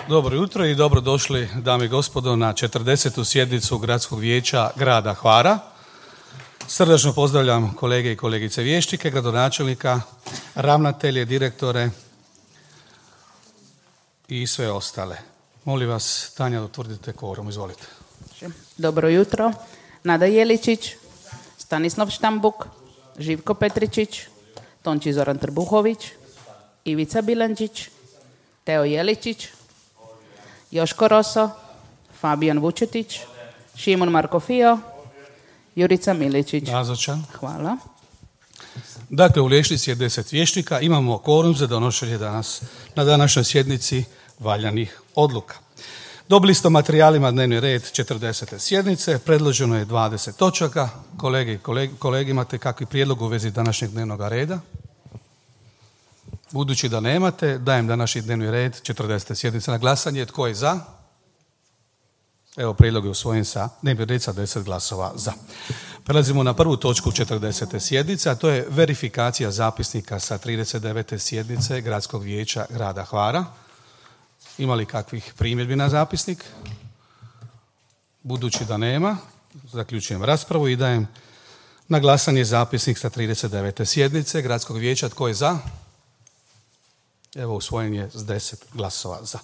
Dobro jutro i dobrodošli, dame i gospodo, na 40. sjednicu Gradskog vijeća grada Hvara. Srdačno pozdravljam kolege i kolegice vijećnike, gradonačelnika, ravnatelje, direktore i sve ostale. Molim vas, Tanja, utvrdite kvorum, izvolite. Dobro jutro. Nada Jeličić, Stanislav Štambuk, Živko Petričić, Tonči Zoran Trbuhović, Ivica Bilančić, Teo Jeličić, Joško Roso, Fabijan Vučetić, Šimon Markofio, Jurica Miličić. Nazočan. Hvala. Dakle, u Lješnici je 10 vijećnika. Imamo kvorum za donošenje na današnjoj sjednici valjanih odluka. Dobili ste materijalima dnevni red 40. sjednice. Predloženo je 20 točaka. Kolege i kolege, imate kakvi prijedlog u vezi današnjeg dnevnog reda? Budući da nemate, dajem današnji dnevni red 40. sjednice na glasanje. Tko je za? Evo, prijedlog je usvojen sa dnevni red sa 10 glasova za. Prelazimo na prvu točku 40. sjednice, a to je verifikacija zapisnika sa 39. sjednice Gradskog vijeća grada Hvara. Ima li kakvih primjedbi na zapisnik? Budući da nema, zaključujem raspravu i dajem na glasanje zapisnik sa 39. sjednice Gradskog vijeća. Tko je za? Evo, usvojen je s 10 glasova za.